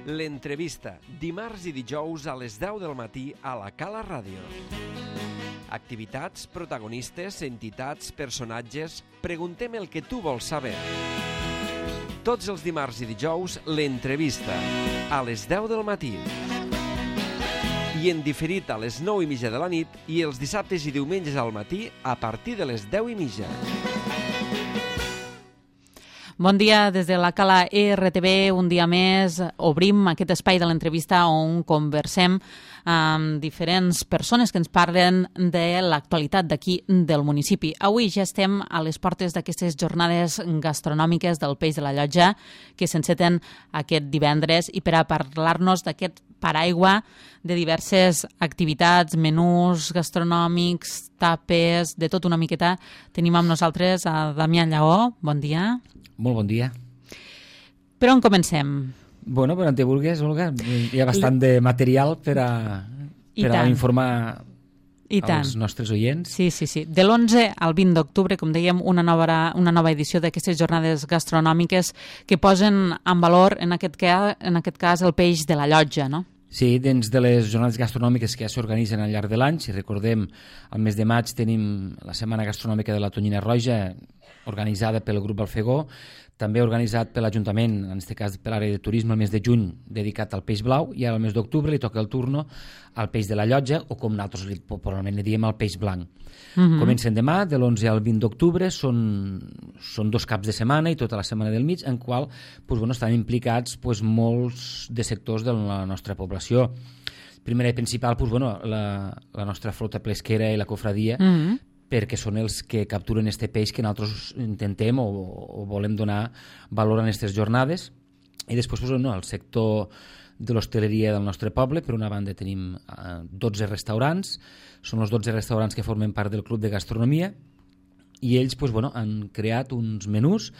L'entrevista, dimarts i dijous a les 10 del matí a la Cala Ràdio. Activitats, protagonistes, entitats, personatges... Preguntem el que tu vols saber. Tots els dimarts i dijous, l'entrevista, a les 10 del matí. I en diferit a les 9:30 de la nit i els dissabtes i diumenges al matí a partir de les 10:30. Bon dia des de la Cala RTV, un dia més obrim aquest espai de l'entrevista on conversem amb diferents persones que ens parlen de l'actualitat d'aquí del municipi. Avui ja estem a les portes d'aquestes jornades gastronòmiques del Peix de la Llotja que s'enceten aquest divendres i per a parlar-nos d'aquest paraigua de diverses activitats, menús gastronòmics, tapes, de tot una miqueta, tenim amb nosaltres a Damià Lleó. Bon dia. Molt bon dia. Per on comencem? Bueno, per on te vulguis, Olga. Hi ha bastant de material per a informar als nostres oients. Sí. De l'11 al 20 d'octubre, com dèiem, una nova edició d'aquestes jornades gastronòmiques que posen en valor, en aquest cas, el peix de la Llotja, no? Sí, dins de les jornades gastronòmiques que ja s'organitzen al llarg de l'any, si recordem, al mes de maig tenim la Setmana Gastronòmica de la Tonyina Roja, organitzada pel grup Alfegó, també organitzat per l'Ajuntament, en aquest cas per l'àrea de turisme, el mes de juny dedicat al peix blau, i al mes d'octubre li toca el turno al peix de la Llotja, o com nosaltres probablement li diem al peix blanc. Comencen demà, de l'11 al 20 d'octubre, són 2 caps de setmana i tota la setmana del mig, en qual estan implicats molts de sectors de la nostra població. Primera i principal, la nostra flota pesquera i la cofradia, perquè són els que capturen este peix que nosaltres intentem o volem donar valor a aquestes jornades. I després el sector de l'hostaleria del nostre poble. Per una banda tenim 12 restaurants, són els 12 restaurants que formen part del Club de Gastronomia, i ells han creat uns menús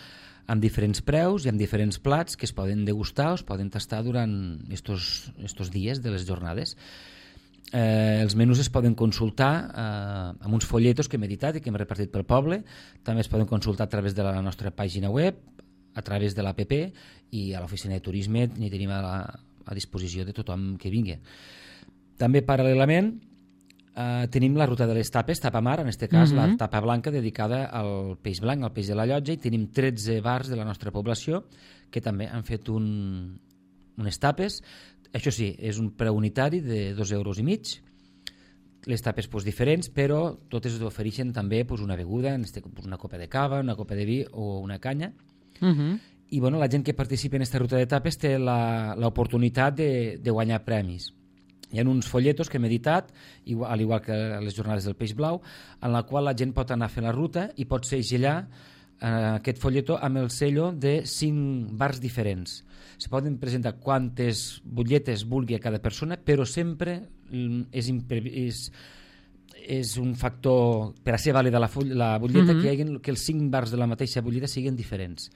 amb diferents preus i amb diferents plats que es poden degustar o es poden tastar durant estos dies de les jornades. Els menús es poden consultar amb uns folletos que hem editat i que hem repartit pel poble. També es poden consultar a través de la nostra pàgina web, a través de l'APP, i a l'oficina de turisme n'hi tenim a disposició de tothom que vingui. També paral·lelament tenim la ruta de les tapes, tapa mar, en aquest cas la tapa blanca dedicada al peix blanc, al peix de la Llotja, i tenim 13 bars de la nostra població que també han fet unes tapes. Això sí, és un preu unitari de 2,5 euros. Les tapes diferents, però totes ofereixen també una beguda, una copa de cava, una copa de vi o una canya. I la gent que participa en aquesta ruta de tapes té l'oportunitat de guanyar premis. Hi ha uns folletos que hem editat, al igual que les jornades del peix blau, en la qual la gent pot anar a fer la ruta i pot segellar aquest folleto amb el sello de 5 bars diferents. Se poden presentar quantes butlletes vulgui a cada persona, però sempre és un factor per a ser vàlida la butlleta que els 5 bars de la mateixa butlleta siguin diferents.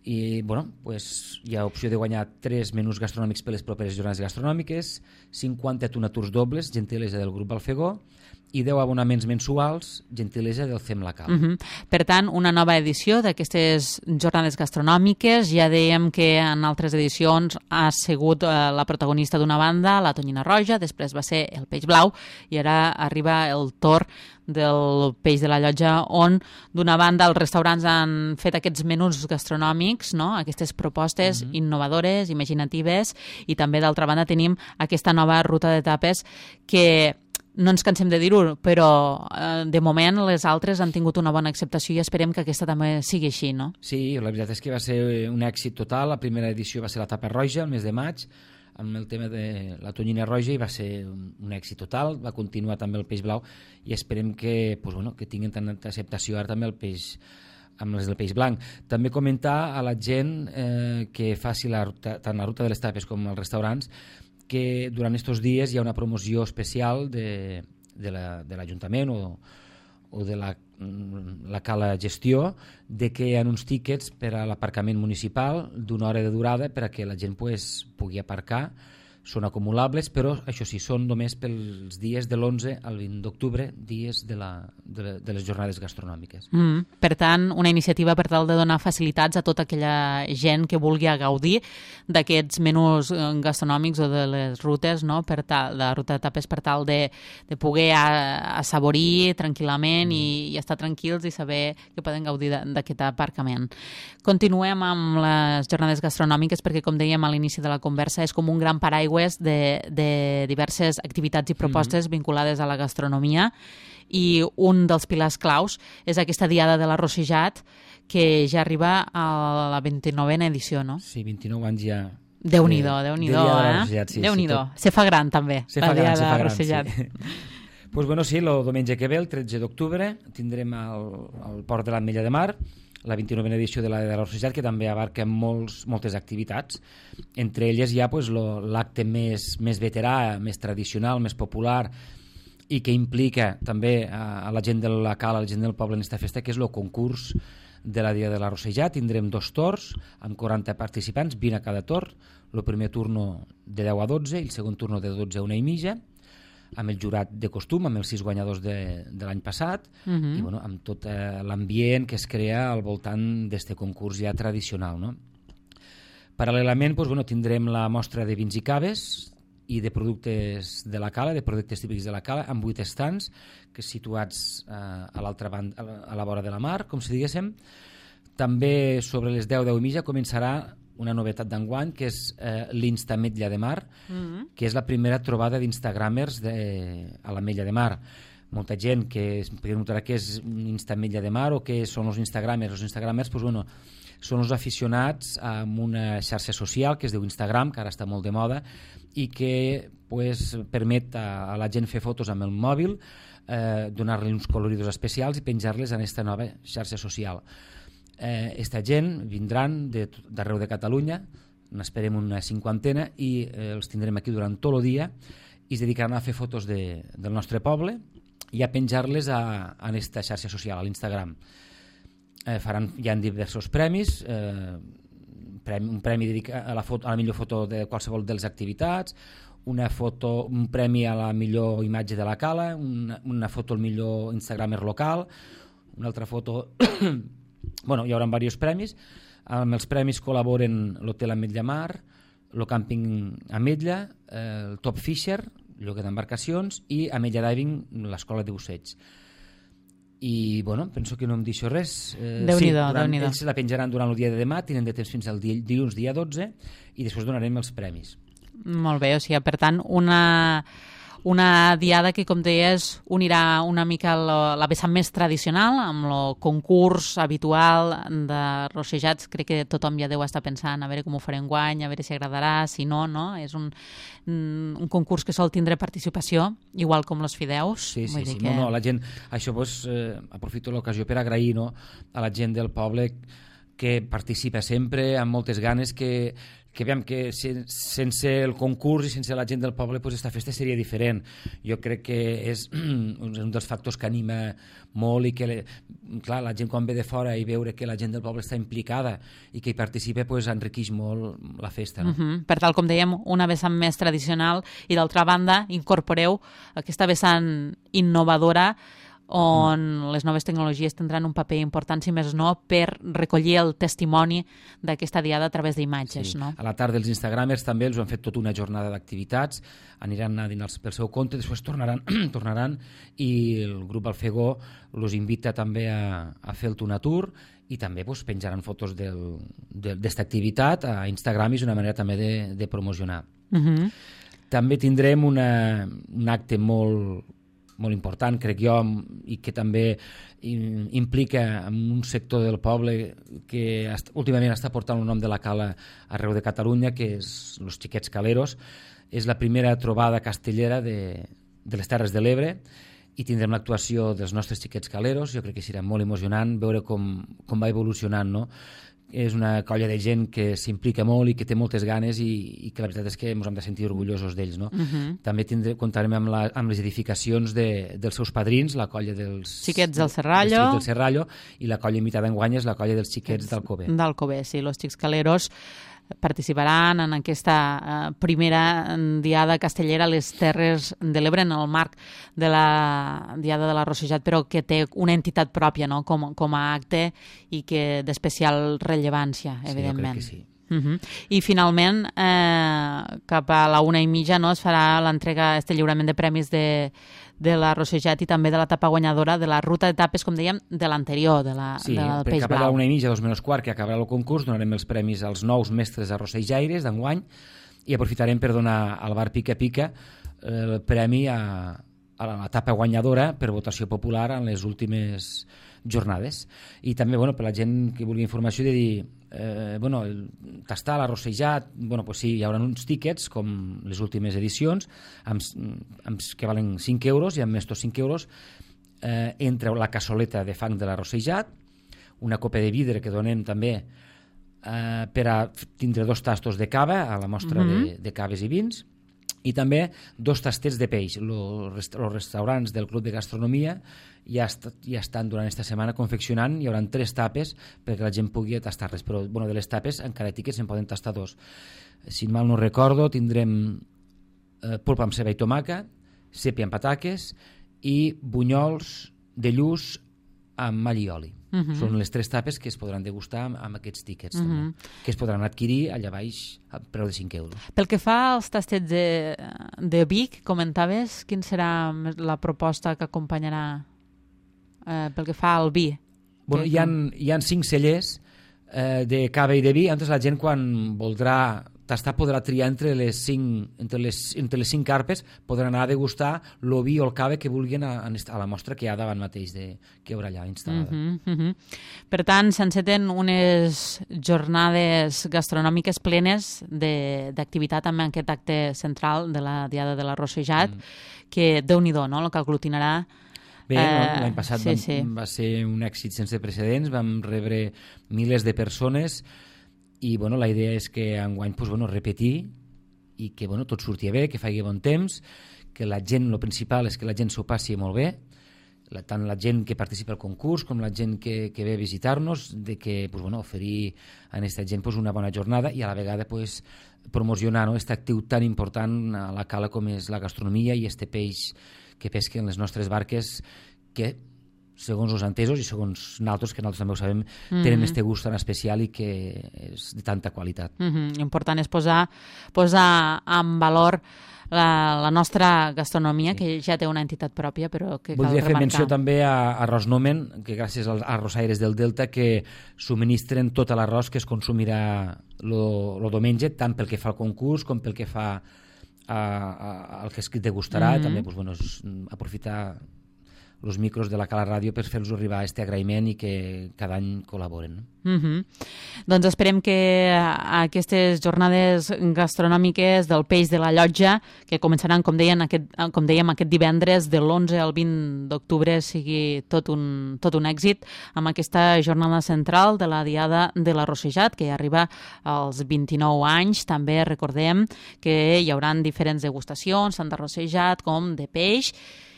I hi ha opció de guanyar 3 menús gastronòmics per les properes jornades gastronòmiques, 50 tunaturs dobles, gentilesa del grup Alfegó, i 10 abonaments mensuals, gentilesa del CEM La Cala. Per tant, una nova edició d'aquestes jornades gastronòmiques. Ja dèiem que en altres edicions ha sigut la protagonista d'una banda, la Tonyina Roja, després va ser el peix blau, i ara arriba el torn del peix de la Llotja, on d'una banda els restaurants han fet aquests menús gastronòmics, no? Aquestes propostes innovadores, imaginatives, i també d'altra banda tenim aquesta nova ruta de tapes que no ens cansem de dir-ho, però de moment les altres han tingut una bona acceptació i esperem que aquesta també sigui així, no? Sí, la veritat és que va ser un èxit total. La primera edició va ser la tapa roja, el mes de maig, amb el tema de la Tonyina Roja, i va ser un èxit total. Va continuar també el peix blau i esperem que tinguin tanta acceptació ara també el peix amb les del peix blanc. També comentar a la gent que faci tant la ruta de les tapes com els restaurants que durant aquests dies hi ha una promoció especial de l'Ajuntament o de la Cala Gestió, de que hi ha uns tíquets per a l'aparcament municipal d'una hora de durada per a que la gent pugui aparcar són acumulables, però això sí, són només pels dies de l'11 al 20 d'octubre, dies de les jornades gastronòmiques. Per tant, una iniciativa per tal de donar facilitats a tota aquella gent que vulgui gaudir d'aquests menús gastronòmics o de les rutes, no? De la ruta de tapes, per tal de poder assaborir tranquil·lament i estar tranquils i saber que poden gaudir d'aquest aparcament. Continuem amb les jornades gastronòmiques perquè, com dèiem a l'inici de la conversa, és com un gran paraigua de diverses activitats i propostes vinculades a la gastronomia, i un dels pilars claus és aquesta Diada de l'Arrossejat, que ja arriba a la 29a edició, no? Sí, 29 anys ja. Déu-n'hi-do, sí, Déu-n'hi-do. Se fa gran, també, la Diada de l'Arrossejat. Pues bueno, sí, el diumenge que ve, el 13 d'octubre, tindrem al Port de l'Ametlla de Mar la 29a edició de l'Arrossejat, que també abarca moltes activitats. Entre elles hi ha l'acte més veterà, més tradicional, més popular, i que implica també a la gent de la cala, a la gent del poble en aquesta festa, que és el concurs de la Dia de l'Arrossejat. Tindrem 2 torns amb 40 participants, 20 a cada torn, el primer turno de 10 a 12 i el segon turno de 12 a 1 i mitja, amb el jurat de costum, amb els 6 guanyadors de l'any passat, i bueno, amb tot l'ambient que es crea al voltant d'aquest concurs ja tradicional, no? Paral·lelament, doncs, bueno, tindrem la mostra de vins i caves i de productes de la cala, de productes típics de la cala, amb 8 estants que situats a l'altra banda, a la vora de la mar, com si diguéssim. També sobre les 10 i mitja començarà una novetat d'enguany, que és l'Instametlla de Mar, que és la primera trobada d'instagramers a l'Ametlla de Mar. Molta gent que es preguntarà què és Instametlla de Mar o què són els instagramers. Els instagramers són els aficionats a una xarxa social que es diu Instagram, que ara està molt de moda, i que permet a la gent fer fotos amb el mòbil, donar-li uns coloridors especials i penjar-les en aquesta nova xarxa social. Esta gent vindran d'arreu de Catalunya, n'esperem una 50, i els tindrem aquí durant tot el dia i es dedicaran a fer fotos del nostre poble i a penjar-les a aquesta xarxa social, a l'Instagram. Hi ha diversos premis, un premi dedicat a la millor foto de qualsevol de les activitats, un premi a la millor imatge de la cala, una foto al millor instagramer local, una altra foto... Bueno, hi haurà diversos premis. Amb els premis col·laboren l'Hotel Ametlla Mar, el Càmping Ametlla, el Top Fisher, lloguer d'embarcacions, i Ametlla Diving, l'Escola de Busseig. I, bueno, penso que no em deixo res. Déu-n'hi-do, Déu-n'hi-do. Ells la penjaran durant el dia de demà, tenen de temps fins al dilluns dia 12, i després donarem els premis. Molt bé, o sigui, per tant, una diada que, com deies, unirà una mica la vessant més tradicional amb el concurs habitual de rossejats. Crec que tothom ja deu estar pensant a veure com ho farem enguany, a veure si agradarà, si no, no? És un concurs que sol tindre participació, igual com els fideus. Sí, no, la gent... Això, aprofito l'ocasió per agrair, no, a la gent del poble que participa sempre amb moltes ganes, que veiem que sense el concurs i sense la gent del poble aquesta festa seria diferent. Jo crec que és un dels factors que anima molt i que, clar, la gent quan ve de fora i veure que la gent del poble està implicada i que hi participa enriqueix molt la festa. No? Per tal, com dèiem, una vessant més tradicional i d'altra banda incorporeu aquesta vessant innovadora on les noves tecnologies tindran un paper important, si més no, per recollir el testimoni d'aquesta diada a través d'imatges. Sí. No? A la tarda els instagramers també els han fet tota una jornada d'activitats, aniran a dinar pel seu compte, després tornaran i el grup Alfegó els invita també a fer el Tuna Tour i també penjaran fotos d'esta activitat a Instagram i és una manera també de promocionar. També tindrem un acte molt important, crec jo, i que també implica un sector del poble que últimament està portant el nom de la cala arreu de Catalunya, que és els Xiquets Caleros. És la primera trobada castellera de les Terres de l'Ebre i tindrem l'actuació dels nostres Xiquets Caleros. Jo crec que serà molt emocionant veure com va evolucionant, no? És una colla de gent que s'implica molt i que té moltes ganes i que la veritat és que ens hem de sentir orgullosos d'ells. No? També comptarem amb les edificacions dels seus padrins, la colla dels Xiquets del Serrallo i la colla invitada enguany és la colla dels Xiquets d'Alcover. D'Alcover, sí, los Xics Caleros. participaran en aquesta primera Diada Castellera a les Terres de l'Ebre en el marc de la Diada de la Rossejat, però que té una entitat pròpia, no? com a acte i que d'especial rellevància, evidentment. Sí, jo crec que sí. I finalment, cap a la 1:30, no, es farà l'entrega, lliurament de premis de la Rossejat i també de l'etapa guanyadora de la ruta d'etapes, com dèiem, de l'anterior, del Peix Blau. Sí, cap a la 1:30, 2:15, que acabarà el concurs, donarem els premis als nous mestres arrossejaires d'enguany i aprofitarem per donar al bar Pica Pica el premi a l'etapa guanyadora per votació popular en les últimes jornades. I també, per la gent que vulgui informació, de dir, tastar l'arrossejat, pues sí, hi haurà uns tíquets, com les últimes edicions, que valen 5 euros, i amb estos 5 euros entra la cassoleta de fang de l'arrossejat, una copa de vidre que donem també per a tindre 2 tastos de cava a la mostra de caves i vins, i també 2 tastets de peix. Els restaurants del Club de Gastronomia ja estan durant aquesta setmana confeccionant, hi haurà 3 tapes perquè la gent pugui tastar-les, però de les tapes en cada tiquet se'n poden tastar 2. Si mal no recordo, tindrem polpa amb ceba i tomaca, sèpia amb pataques i bunyols de lluç amb all i oli. Són les 3 tapes que es podran degustar amb aquests tíquets, també, que es podran adquirir allà baix a preu de 5 euros. Pel que fa als tastets de Vic, comentaves, quin serà la proposta que acompanyarà pel que fa al vi? Hi ha 5 cellers de cava i de vi, la gent quan voldrà tastar podrà triar entre les 5 carpes, podran anar a degustar el vi o el cava que vulguin a la mostra que hi ha davant mateix, que hi haurà allà instal·lada. Per tant, s'enceten unes jornades gastronòmiques plenes d'activitat amb aquest acte central de la Diada de la Rossejat, que Déu-n'hi-do, no?, el que aglutinarà. Bé, l'any passat va ser un èxit sense precedents, vam rebre milers de persones, i la idea és que enguany repetir i que tot surti bé, que faci bon temps, que la gent, el principal és que la gent s'ho passi molt bé, tant la gent que participa al concurs com la gent que ve a visitar-nos, de que oferir a aquesta gent una bona jornada i a la vegada promocionar aquest actiu tan important a la cala com és la gastronomia i este peix que pesquen les nostres barques, que segons els entesos i segons nosaltres, que nosaltres també ho sabem, tenen este gust tan especial i que és de tanta qualitat. L'important és posar en valor la nostra gastronomia, que ja té una entitat pròpia, però que cal remarcar. Voldria fer menció també a Arròs-Nomen, que gràcies als arrossaires del Delta que subministren tot l'arròs que es consumirà el diumenge, tant pel que fa al concurs com pel que fa al que es degustarà. També aprofitar els micros de la Cala Ràdio per fer-los arribar aquest agraïment i que cada any col·laboren. Doncs esperem que aquestes jornades gastronòmiques del peix de la Llotja, que començaran, com dèiem, aquest divendres de l'11 al 20 d'octubre, sigui tot un èxit, amb aquesta jornada central de la Diada de la Rossejat, que arriba als 29 anys. També recordem que hi haurà diferents degustacions, tant de rossejat com de peix,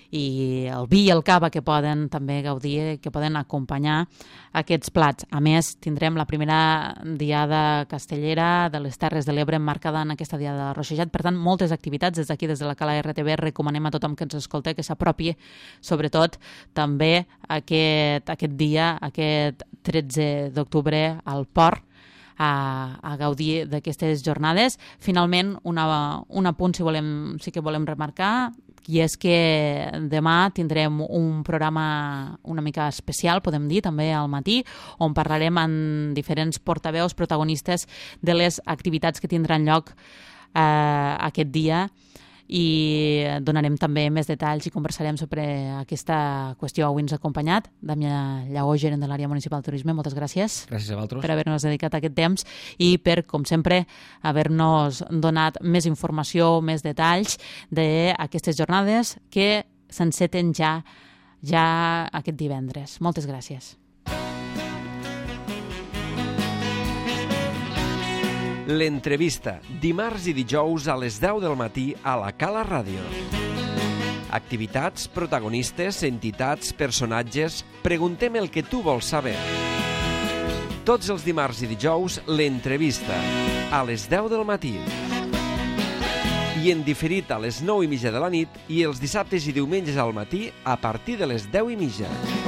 i el vi i el cava que poden també gaudir, que poden acompanyar aquests plats. A més, tindrem la primera Diada Castellera de les Terres de l'Ebre emmarcada en aquesta Diada de la Rossejat. Per tant, moltes activitats des d'aquí, des de la Cala RTV. Recomanem a tothom que ens escolta que s'apropi, sobretot també aquest dia, aquest 13 d'octubre, al Port, a gaudir d'aquestes jornades. Finalment, un apunt sí que volem remarcar, i és que demà tindrem un programa una mica especial, podem dir, també al matí, on parlarem amb diferents portaveus protagonistes de les activitats que tindran lloc aquest dia, i donarem també més detalls i conversarem sobre aquesta qüestió. Avui ens ha acompanyat Damià Lleó, gerent de l'àrea municipal de turisme. Moltes gràcies. Gràcies a vosaltres per haver-nos dedicat aquest temps i per, com sempre, haver-nos donat més informació, més detalls d'aquestes jornades que s'enceten ja aquest divendres. Moltes gràcies. L'entrevista, dimarts i dijous a les 10 del matí a la Cala Ràdio. Activitats, protagonistes, entitats, personatges... Preguntem el que tu vols saber. Tots els dimarts i dijous, l'entrevista, a les 10 del matí. I en diferit a les 9:30 de la nit i els dissabtes i diumenges al matí a partir de les 10:30.